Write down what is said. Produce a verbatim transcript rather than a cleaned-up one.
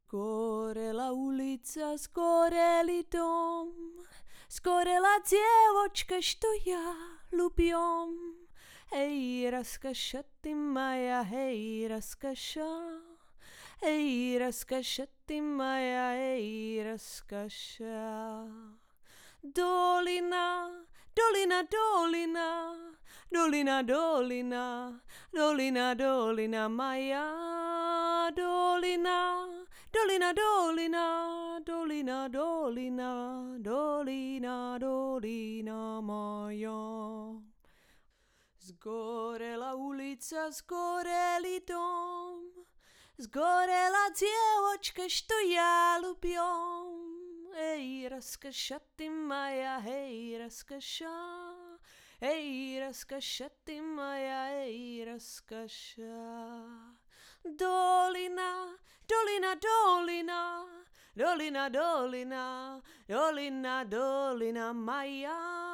Skorela ulica, skoreli dom, skorela djevojčka što ja ljubim. Hej, raskaša ti moja, hej, raskaša, hej, raskaša ti moja, hej, raskaša. Dolina, dolina, dolina, dolina, dolina, dolina, dolina moja, dolina, dolina, dolina, dolina, dolina, dolina, dolina moja. Zgorela ulica, zgoreli dom, zgorela djevojčka što ja ljubim. Hej, raskaša ti moja, hej, raskaša, hej, raskaša ti moja, hej, raskaša. Dolina, dolina, dolina, dolina, dolina, dolina, dolina moja.